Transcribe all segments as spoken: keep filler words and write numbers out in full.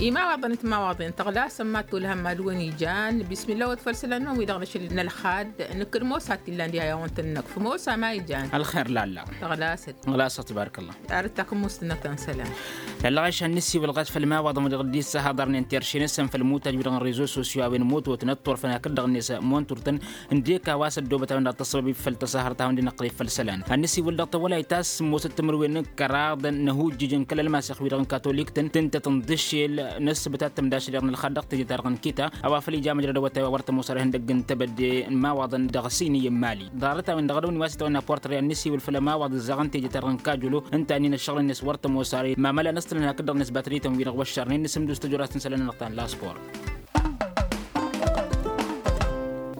Imawaḍăn d-timawaḍen tăɣlasăn mad-tolhăm mad-wăn ijan. Bismillah wăt făll-isălan-năwăn wi-dăɣ năšăl n-ălxad. Nǝkkǝd mosa t-illan diha i-a-wăn tǝnnăkf mosa ma ijan. Ălxer lalla. Tăɣlasăt. Ɣlasăt tibarkălla. Arǝt takǝmmust-năk ta n-isălan. Lăllăɣ ašăn nǝsiwǝl ɣas făll-imawaḍăn wi-dăɣ dd-issahăḍărnen terše-năsăn făll-imutaj wi-dăɣ n-rezo sosyo a-wen mototăn ăṭṭurfăn hakd-dăɣ-net monturtăn. Ǝndek a-wa s-ăddoobăt a-wen-dăɣ tăssăbăb i-făl tăsahărt a hawăn-dd-inăqqăleb făll-isălan ad-nǝsiwǝl dăɣ-tawălayt ta s-sǝmmosăt timǝrwen n-kăraḍ n-ahujjǝj n-kăl-ălmasex wi-dăɣ n-katolik-tăn tǝntăt n-dăšel n-ǝssǝbǝt ad-tămdašăl i-dăɣ n-ălxad dăɣ-teje-ta-dăɣ n-kita. A-wa făl ija măjrăd awătay wa wăr tămoos ar ihăndăgg n-tebădde n-imawaḍăn dăɣ-siniy n-mali ḍarăt-a-wen-dăɣ ad-ăwni wa s-itawănna portăre ad-nǝsiwǝl făll-ămawaḍ ǝzzaɣăn teje-ta-dăɣ n-kajolo. Ǝnta-nin ăššăɣǝl-net wăr tămoos ar i-mamăla n-ăstălăn hakd-dăɣ-net batărităn wi-dăɣ wăššărnen n-asǝmdus tăjorrast n-isălan-nănăɣ ta n-laspor.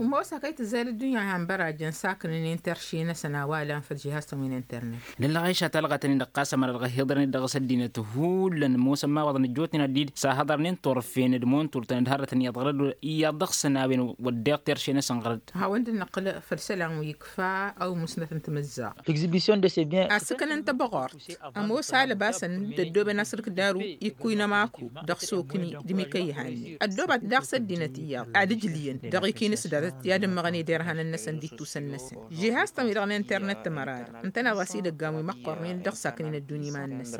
Ămoos hak a itǝzzayăl ăddunya han bărajăn saknănen terše-năsăn a-wa lan făll-žihaz-tăn wi n-internet. Lăllăɣ ašăl talɣa tăn-in-dăɣ ɣas ămăra dăɣ-ăhiḍărnet dăɣ-s ăddinăt hullan ămoosăn imawaḍăn ăjjootnen ad-dd-sahăḍărnen turfen d-monturtăn d-hărrătăn iyyăḍ ɣărăd iyyăḍ dăɣ-săn a-wen wăddeɣ terše-năsăn ɣărăd. Hawăn-dd-năqqǝl făll-isălan wi ikfa ăwmusnăt n-timǝzzaɣt. Asǝkǝn n-tăbăɣort ămoos alăbasăn d-ăddoobăn asǝrǝk d-aru ikkuy n-ămaku dăɣ-sokni d-imikăyhan-ni ăddoobat daɣ s-ăddinăt iyyăḍ ad-ǝjlǝyăn dăɣ-ikinǝs datăt i-ad-ǝmmăɣăn i-derhanăn-năsăn d-ittusăn-năsăn. Žihaz-tăn wi-dăɣ n-internet tămăra-dăɣ ǝntăneḍ a-s idăggan wi măqqornen dăɣ-saknen ăddunya iman-năsăn.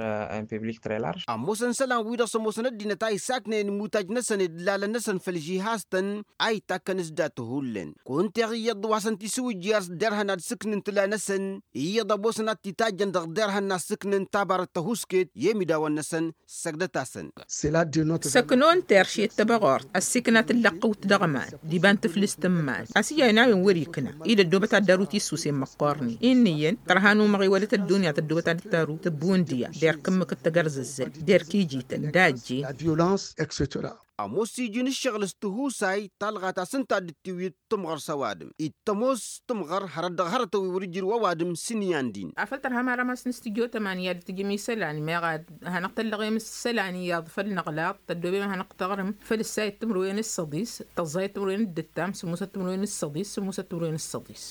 Ămoosăn isălan-wi-dăɣ s-ămoosăn ăddinăt a isaknen imutaj-năsăn d-lalăn-năsăn făll-žihaz-tăn a itakkăn s-dat-hullen. Kunta iyyăḍ wa s-ănta isǝwǝjji ar s-derhăn ad-sǝknǝn tǝla-năsăn iyyăḍ ămoosăn ad-t-itajjăn dăɣ-derhăn n-ad-sǝknǝn tabarăt tăhusket i-emidawăn-năsăn. Săgdăt-asăn. Săknon terše d-tăbăɣort ăssiikna tǝllăqqǝwt dăɣ-iman d-iba n-tǝflǝst n-iman a-s ija ănn a-wen wăr-ikna-i d-ăddoobăt ad-daru tisusen măqqornen inniyăn tărha n-umăɣ iwălăt ăddunya tăddoobăt ad-dd-taru tǝbbu n-diya der kǝmmǝkǝt tăgărzăzzăl der kijităn dajjen. Ămoos iji n-ǝššăɣǝl s-tihusay talɣa ta s-ǝnta a dd-tiwǝy d-timɣăr s-ăwadǝm ittămoos timɣăr hărăt dăɣ-hărătăn wi wăr-ǝjrǝw ăwadǝm s-ǝnyan-din. Afăl tărha mara masăn s-tijot ămani i-ad-tǝjǝm isălan meɣ ad-hanăɣ-tăllăɣem s-isălan iyyăḍ făll-inăɣlaḍ tăddoobem ad-hanăɣ-taɣrǝm făll-ǝssayăt timǝrwen s-săḍis tăẓẓayăt timǝrwen d-ǝttam sǝmmosăt timǝrwen s-săḍis sǝmmosăt timǝrwen s-săḍis.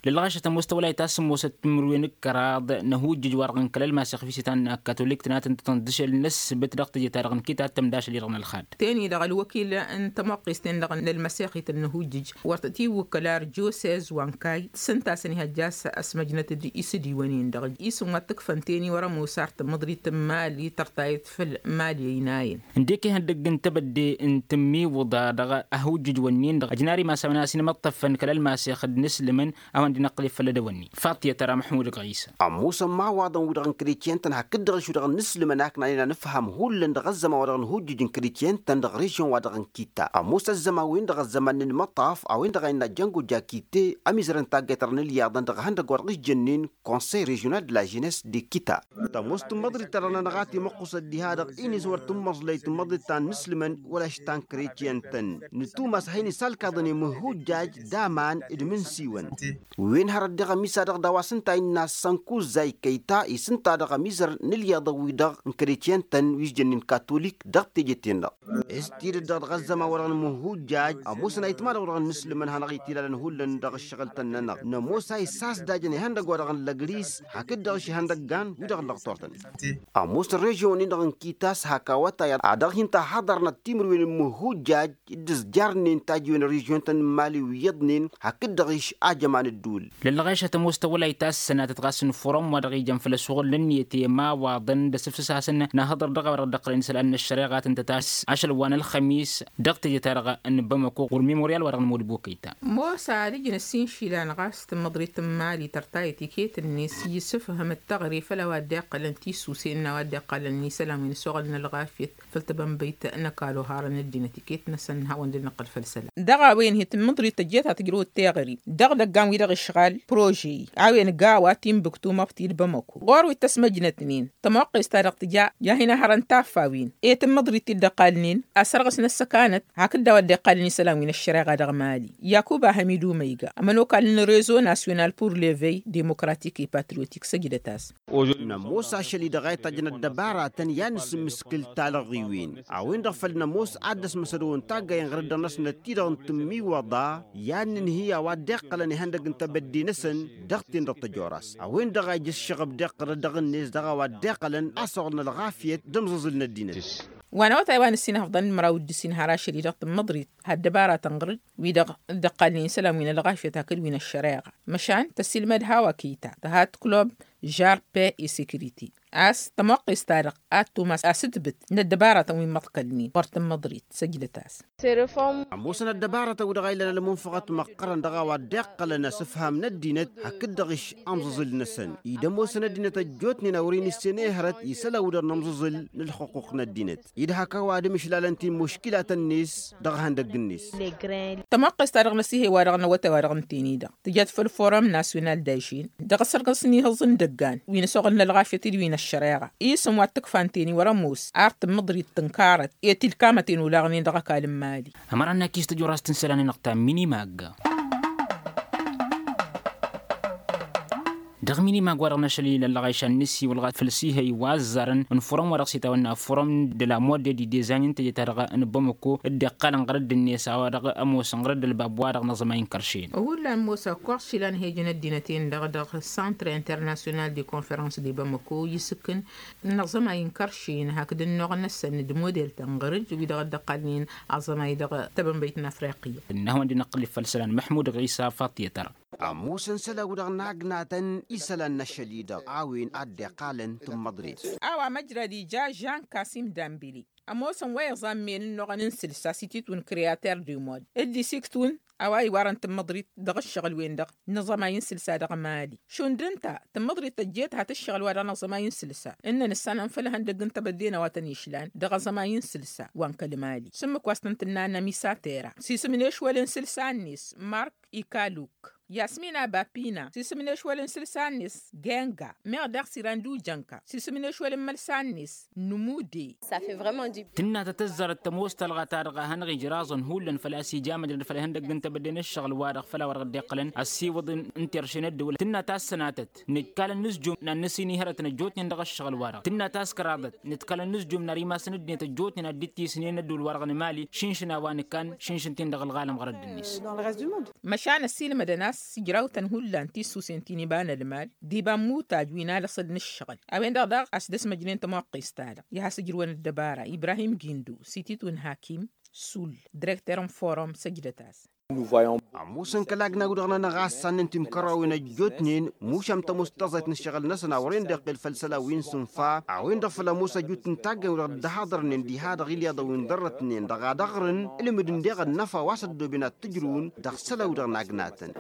Lălɣašăt ămoos tăwălayt ta s-sǝmmosăt timǝrwen d-kăraḍ n-ahujjǝj wa-dăɣ n-kăl-ălmasex wi s-itan n-katolik tǝnatăn tătănḍǝšel n-ăssǝbǝt dăɣ-teje-ta-dăɣ n-kita ad-tămdašăl i-dăɣ n-ălxad. Teni-dăɣ ălwăkil n-tămoqqest-en-dăɣ n-ălmăsexit n-ahujjǝj wăr tăt-iwwǝkkăl ar josez wa n-kayy s-ǝnta a-s ănihăjja a-s ăsmăjnăt d-isǝdiwăn-in-dăɣ isǝm wa t-ǝkfăn teni wăr-ămoos ar tǝmmǝḍrit n-imali tărtayăt făll-imali ăynayăn. Ǝndek ihăndăgg n-tebădde n-tǝmmiwǝḍa dăɣ-ahujjǝj-wǝnnin-dăɣ ăjnar imasawăn a-s inmăṭṭăfăn kăl-ălmasex d-inǝslǝmăn a-wen dd-inăqqǝleb făll-edăwănni. Faṭiyăt ara măḥmud ɣisa. Ămoosăn imawaḍăn-wi-dăɣ n-kretyen-tăn hakd-dăɣ ašwi-dăɣ n-inǝslǝmăn a ǝknan ănfăhăm hullan dăɣ-ăzzăman wa dăɣ-nǝhujjǝj n-kretyen-tăn dăɣ-režion-wa-dăɣ n-kita ămoos ăzzăman-win-dăɣ ăzzăman n-inmăṭṭaf a-wen-dăɣ a innă django jakite ămizărăn taggayt-ta-dăɣ n-ǝlyaḍăn dăɣ-ihăndăgg wa dăɣ-s jănnen konsăy režional de la ženess de kita. Tămoos tǝmmăḍrit-ta-dăɣ-nănăɣ a timăqqusăt diha-dăɣ-i n-iswăr tǝmmăẓlăy tǝmmăḍrit ta n-inǝslǝmăn wăla š-ta n-kretyen-tăn. Nǝtumas a hin-isalkaḍăn i-imǝhhujjaj d-aman d-imǝnsiwăn. Wen hărăt deɣ ămisa-dăɣ d-a-wa s-ǝnta a innă sănkuzza ikăyy ta isǝnta dăɣ-ămizăr n-ǝlyaḍăn-wi-dăɣ n-kretyen-tăn wi s-jănnen katolik dăɣ-teje-ten-dăɣ. S-tidǝt-dăɣ dăɣ-ăzzăman-wa-dăɣ n-imǝhhujjaj ămoosăn a itma-dăɣ-wa-dăɣ n-inǝslǝmăn hanăɣ-itilalăn hullan dăɣ-ǝššăɣǝl-tăn-nănăɣ nămoos a isasdajăn ihăndăgg-wa-dăɣ n-lăgris hakd-dăɣ išihăndăggan wi-dăɣ ǝllăɣ turtăn. Ămoos ărrežion-in-dăɣ n-kitas hak awătay a dăɣ-hin-ta haḍărnăt timǝrwen n-imǝhhujjaj dd-ǝzjarnen tajiwen ărrežion-tăn n-imali wi iyyăḍnen hakd-dăɣ išajăman ǝddǝwǝl. Lăllăɣešăt ămoos tăwălayt ta s-sănatăt ɣas n-forum wa dăɣ-ijăn făll-ăššuɣǝl n-ǝnniyăt i-imawaḍăn d-asǝfsǝs-asăn n-ahăḍăr dăɣ-a-wa dăɣ-dd-ăqqălăn isălan n-ăššăreɣa a tăn-tăt-ass ašăl wa n-ălxămis dăɣ-teje-ta-dăɣ n-bamăko ɣur-memorial wa dăɣ-nămudbukăy ta. Mosa ad-ǝjǝn ăssiinšilan ɣas tǝmmăḍrit n-imali tărtayăt iket-net i-isǝfhăm d-taɣre făll-a-wa dd-iqqălăn tisusen n-a-wa dd-iqqălăn isălan wi n-ăsoɣăl n-ălɣafyăt făll-tabănbăyt n-ăkall oharăn ăddinăt iket-năsăn n-hawăn-dd-nǝqqǝl făll-isălan. Dăɣ-a-wen hi-tǝmmǝḍrit tăjjăt ad-tǝjrăwăt teɣăre dăɣ-idăggan-wi-dăɣ išɣal prože-i a-wen gawa timbuktu măɣti d-bamăko ɣur-wi t-ăsmăjnătnen tămoqqes-ta-dăɣ tǝja i-ad-hin-ăhărăn taffa-win i-tǝmmǝḍrit-i dd-ăqqalnen asărɣǝs n-ăssăkanăt hakd a-wa dd-iqqalăn isălan wi n-ăššăreɣa dăɣ-mali. Yakuba hamidu măyga ămănokal n-rezo nasyonal pur levey demokratik i-patriotik săjdăt-as. Nămoos ašăl-i-dăɣ a itajjăn ăddăbaratăn i-ad-nǝsǝmmǝskǝl talăɣiwen a-wen-dăɣ făll-nămoos ad-dd-ăsmăsădăwăn taggay n-ɣărăddăɣ-năsnăt-ti-dăɣ n-tǝmmiwăḍa i-ad-nǝnhǝy a-wa dd-iqqălăn ihăndăgg n-tăb Bădde-năsăn dăɣ-ten-dăɣ tăjoras a-wen-dăɣ a ija ǝššăɣăb d-iqqărăn dăɣ-net dăɣ-a-wa dd-iqqălăn a-s oɣrăn ălɣafyăt d-ămẓǝẓǝl n-ăddinăt. Wa n-awătay wa n-ǝssin hăfḍăn n-măraw d-ǝssin har ašăl-i-dăɣ tǝmmăḍrit ha ăddăbaratăn ɣǝr-dd wi-dăɣ dd-ăqqalnen isălan wi n-ălɣafyăt hakd wi n-ăššăreɣa. Măšan tăsilmăd hawa kita tăhat club žarpe i-sécurité a-s tămoqqes-ta-dăɣ ad-tumas asǝtbǝt n-ăddăbaratăn wi n-imăḍkălnen wăr tǝmmăḍrit săjdăt-as. Ămoosăn ăddăbaratăn wi-dăɣ a ilan ălmunfăɣăt măqqărăn dăɣ-a-wa dd-iqqălăn asǝfham n-ăddinăt hakd-dăɣ išš amẓǝẓǝl-năsăn-i d-ămoosăn ăddinăt ăjjootnen a wăren issen ehărăt isălan wi-dăɣ n-amẓǝẓǝl n-ălxuqquq n-ăddinăt-i d-hak a-wa ad-ămǝšlalăn ti n-muškilatăn-net dăɣ-ihăndăgg-net. Tămoqqes-ta-dăɣ n-asihăy wa dăɣ-năwătay wa dăɣ-ǝnten-i-dăɣ tǝjăt făll-forum nasyonal d-ažin dăɣ-asărgăs n-ihǝẓ n-idăggan wi n-ăsoɣălăn ălɣafyăt-dd wi n-ăššăreɣa isǝm wa t-ǝkfa ǝnten-i wăr-ămoos ar tǝmmǝḍrit tǝnkarăt i-tilkamăten olaɣnen dăɣ-ăkall n-imali. Ămăra n-akis tăjorast n-isălan-i-năɣ ta minimag. Dăɣ-minimag wa-dăɣ n-ašăl-i lăllăɣayš ad-nǝsiwǝl ɣas făll-sihăy wa ăzzarăn n-furăm wa dăɣ-s itawănna furăm de la mode di dezanin teje-ta-dăɣ n-bamăko dd-iqqalăn ɣăr dd-net a-wa dăɣ-ămoosăn ɣăr dd-ălbab wa-dăɣ n-aẓămay n-kăršen. Hullan mosa kăwăɣ išilan hejăn ăddinăt-en-dăɣ dăɣ-centre international de confărăns de bamăko isǝkkǝn n-aẓămay n-kăršen hakd ǝnnuɣ-năsăn d-model-tăn ɣăr-dd wi-dăɣ dd-ăqqalnen aẓămay dăɣ-tebănbăyt n-afriqya. Ǝnnă a-wen-dd-inăqqǝl-dd făll-isălan măḥmud ɣisa faṭiyăt ăra. Ămoosăn isălan-wi-dăɣ n-agnatăn isălan n-ašăl-i-dăɣ a-wen a dd-iqqalăn tǝmmăḍrit. A-wa măjrăd ija žan kasim dambili ămoosăn wa iẓammen ǝnnuɣăn n-sǝlsa s-ititwǝn kreater du mod dd-isiktǝwǝn a-wa iwarăn tǝmmăḍrit dăɣ-ǝššăɣǝl-wen-dăɣ n-aẓămay n-sǝlsa dăɣ-mali šund ǝnta tǝmmăḍrit tăjjeet hat ǝššăɣǝl-wa-dăɣ n-aẓămay n-sǝlsa ǝnnăn ǝssanăn făll-ihăndăgg n-tebădde n-a-wa tăn-išlan dăɣ-aẓămay n-sǝlsa wa n-kăl-mali. S-ǝmmǝk wa s-tăn-tǝnna n-amisater-a s-isǝm n-ešwăl n-sǝlsa-net mark ikaluk yasmina bapina s-isǝm n-ešwăl n-sǝlsa-net genga meɣ daɣ s-iran d-ujănka s-isǝm n-ešwăl n-imălsa-net nǝmude. Tǝnna tăt-ăzzarăt tămoos talɣa-ta-dăɣ a hanăɣ-ijraẓăn hullan făl-a-s ija măjrăd făll-ihăndăgg n-tebădde n-ǝššăɣǝl-wa-dăɣ făll-a-wa dăɣ-dd-iqqălăn ăssiwǝḍ n-terše n-ăddăwăl tǝnna tassănatăt nǝjkalăn nǝzjum n-ad-nǝsinihărăt n-ăjjootnen dăɣ-ǝššăɣǝl-wa-dăɣ tǝnna taskăraḍăt nǝtkalăn nǝzjum n-arimasăn ăddinăt ăjjootnen ad-dd-tisǝnen ăddăwăl-wa-dăɣ n-emali šǝnšǝn a-wa nǝkkan šǝnšǝn-t-in dăɣ-ălɣalăm ɣărădd-net. Măšan ăssiilmădăn a-s ijrawtăn hullan tissusen ti n-iba n-ălmal d-iba n-imutaj wi n-alăṣăl n-ǝššăɣǝl a-wen-dăɣ daɣ a-s dd-ăsmăjnen tămoqqes-ta-dăɣ i-ad-has-ǝjrǝwăn ăddăbara ibrahim gindu s-ititwǝn hakim sul direkter n-forum săjdăt-as. Ămoosăn kăl-agna-wi-dăɣ-nănăɣ a ăssannen timkărrawen ăjjootnen mušam tămoos taẓayt n-ǝššăɣǝl-năsăn a wăren dd-iqqel făll-isălan wi n-sǝnfa a-wen-dăɣ făl ămoos ăjut n-taggayt-wi-dăɣ dd-haḍărnen diha dăɣ-ilyaḍăn wi n-ḍărrătnen dăɣ-ad-ăɣrǝn ǝlmǝd ǝndeɣ ănnăfa wa s-ăddooben ad-t-ǝjrǝwăn dăɣ-isălan-wi-dăɣ n-agnatăn.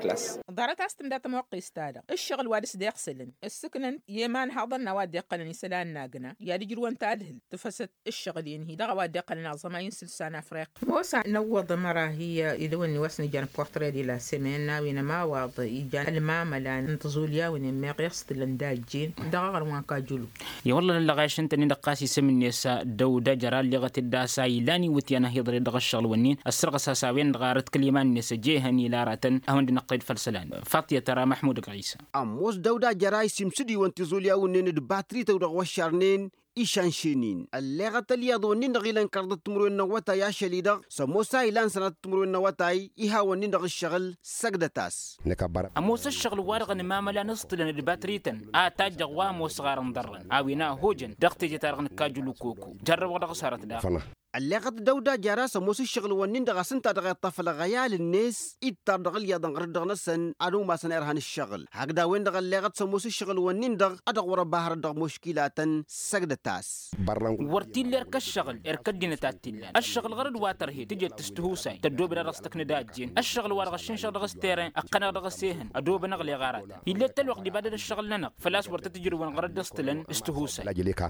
Ḍarăt a-s tǝnda tămoqqes-ta-dăɣ ǝššăɣǝl wa dăɣ-s dd-iɣsǝlăn ǝssǝknăn i-iman haḍăn n-a-wa dd-iqqălăn isălan n-agna i-ad-ǝjrǝwăn tadhǝlt tǝfăsăt ǝššăɣǝl-en-hi dăɣ-a-wa dd-iqqălăn aẓămay n-sǝlsa n-afriqi. Mosa năwwăḍ ămăra hi-idăwănni wa s-nǝjjan portre de la sămen n-a-wen ămawaḍ ijan ălmamăla n-tiẓulyawen-en meɣ iɣstǝlăn d-ajjen dăɣ-aɣrǝm wa n-kajulu. I-wălla lălăɣašăn-tăn-in-dăɣ ɣas isǝm-net dăw-dăjăr a ălleɣăt-dd a-s a ilan iwǝtyan a hi-iḍre dăɣ-ǝššăɣǝl-wǝnnin ăssărɣǝs-as a-wen-dăɣ arăt kăl-iman-net ăjehăn ilarătăn a hawăn-dd-inăqqăl-dd făll-isălan. Faṭiyăt ara măḥmud ăgg ɣisa. Ămoos dăw-dăjăr a isimsǝd-iwăn tiẓulyawen-nin d-batrităw dăɣ-wăššarnen išanšen-in ălleɣăt ălyaḍ-wǝnnin-dăɣ ilăn kăraḍăt timǝrwen n-awătay ašăl-i-dăɣ s-ămoos a ilan sănatăt timǝrwen n-awătay ihawăn-nin-dăɣ ǝššăɣǝl. Săgdăt-as. Ămoos ǝššăɣǝl-wa-dăɣ ănmamăla n-aẓtǝlăn d-ibatriten a tajjăɣ wa ămoosăɣ ar ǝnḍărrăn a-wen a ăhhojăn dăɣ-teje-ta-dăɣ nǝkkajjǝl ukoko jarrăwăɣ dăɣ-s hărăt daɣ. Ălleɣăt dăw-dajăr a-s ămoos ǝššăɣǝl-wǝnnin-dăɣ a-s ǝnta dăɣ-iṭṭaf ălɣăyal-net ittăr dăɣ-ǝlyaḍăn ɣărăt dăɣ-năsăn ad-ămoos imassăn irhan ǝššăɣǝl hakd a-wen-dăɣ ălleɣăt s-ămoos ǝššăɣǝl-wǝnnin-dăɣ a dăɣ-wăr-ăba hărăt dăɣ-muškilatăn. Săgdăt-as. Wăr t-illa erk ăššăɣǝl erk ăddinăt a t-illan ăššăɣǝl ɣărăt wa tărhed tǝjăt s-tihusay tăddoobed a dăɣ-s tăknăd a ăjjeen ăššăɣǝl wa dăɣ-ăššinšăɣ dăɣ-s teren ăqqăneɣ dăɣ-s ehăn ădoobănăɣ leɣ aratăn. Ill'-e ălwăqq d-ibadăd ăššăɣǝl-nănăɣ făl-a-s wăr tăt-ǝjrǝwăn ɣărăt d-ăstǝlăn s-tihusay.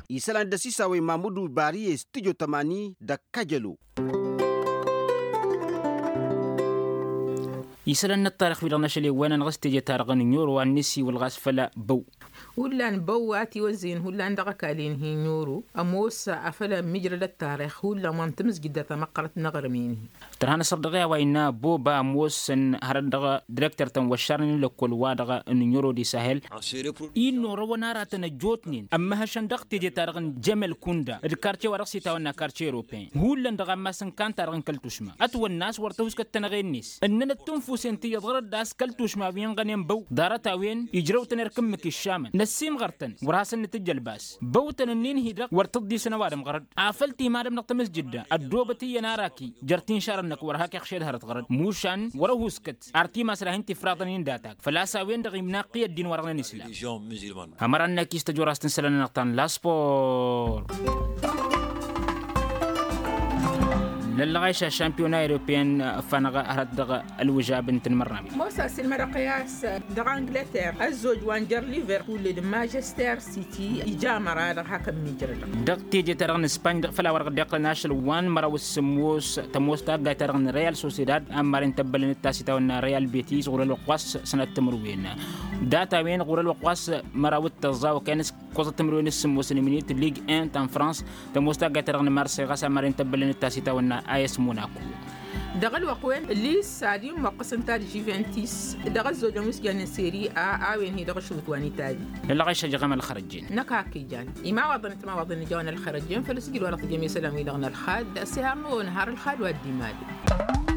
Isălan dd-ăsisawăy mamud ubariye s-tǝjo tămani d-ăkkăjălo. Isălan n-ăṭṭarăx-wi-dăɣ n-ašăl iwwăn-anăɣ s-teje-ta-dăɣ n-inyoro a n-nǝsiwǝl ɣas făll-abăw. Hullan băwwa tiwăzzăyăn hullan dăɣ-ăkall-en-hi n-oro ămoos afăl ămmijrăd ăttarix hullan wa n-tamǝzjǝdda tamăqqărăt n-aɣrǝm-en-hi. Tărha n-asăr dăɣ-i a-wa innă boba ămoosăn hărăt dăɣ-direkter-tăn wa ăššarnen n-lăkkol-wa-dăɣ n-oro di sahel. Inna orăwăn aratăn ăjjootnen ămmăhăšăn dăɣ-teje-ta-dăɣ n-jămel kunda d-karce wa dăɣ-s itawănna karce europeen hullan dăɣ-ammas n-kanta-dăɣ n-kăl-tušma ătwănna a-s wăr tăhuskăt tănăɣe-net ǝnnănăt tunfusen ti iyyăḍ ɣărăt d-ass kăl-tušma wi ǝnɣănen băw ḍarăt-a-wen ijrăw-tăn erk ǝmmǝk iššamăn năssiimɣăr-tăn wăr hasăn-nǝtǝjj ălbas băw-tăn ǝnnin-hi-dăɣ wăr tǝḍḍisăn ăwadǝm ɣărăt afăl timadăm dăɣ-tamǝzjǝdda ăddoobăt iyyăn araki jer-tinšarăn-năk wăr hak iɣšed hărăt ɣărăt mušan wăr-ăhuuskăt ar timasrahin tifraḍăn-in datag făl-a-s a-wen-dăɣ imnaqqi ăddin wa-dăɣ năn-islam. Ămăra-năk i-s tăjorast n-isălan-nănăɣ ta n-laspor. Năllăɣayš aššampiyona europeyăn ǝffanăɣ hărăt dăɣ-ălwǝžab n-tǝnmărnawen. Mosa s-ilmădăɣ i-a-s dăɣ-angleter ăzzoj wa n-jer-liverpool d-manchester city ija ămăra dăɣ-hak ămmiijrădăɣ. Dăɣ-teje-ta-dăɣ n-ispañ dăɣ-făl a wăr-dăɣ-dd-iqqălăn ašăl wa n-măraw s-sǝmmos tămoos taggayt-ta-dăɣ n-real sociedad a n-marăn tăbbălăn d-tasitawăn n-real betis ɣur-ălwăqq wa s-sănăt timǝrwen. Data-wen ɣur-ălwăqq wa s-măraw d-tăẓẓa okăyăn s-kăwăẓăt timǝrwen s-sǝmmos n-iminit lig en ta n-frans tămoos taggayt-ta-dăɣ n-marse ɣas a n-marăn tăbbălăn d-tasitawăn n-as monaco. Dăɣ-ălwăqq-wen lis-ad-immoqqăsăn ta d-juventus dăɣ-ăzzojăn wi s-jannen seri a a-wen-hi-dăɣ ašrut wa n-itali. Ălɣăyš ăjăɣăm ălxărăjjen. Năkk hak ijan imawaḍăn d-timawaḍăn n-ijawăn ălxărăjjen făl-ăsjǝd wa dăɣ-tǝjjăm isălan-wi-dăɣ n-ălxad s-ihar n-ăwwăl n-har ălxad wa dd-imadăn.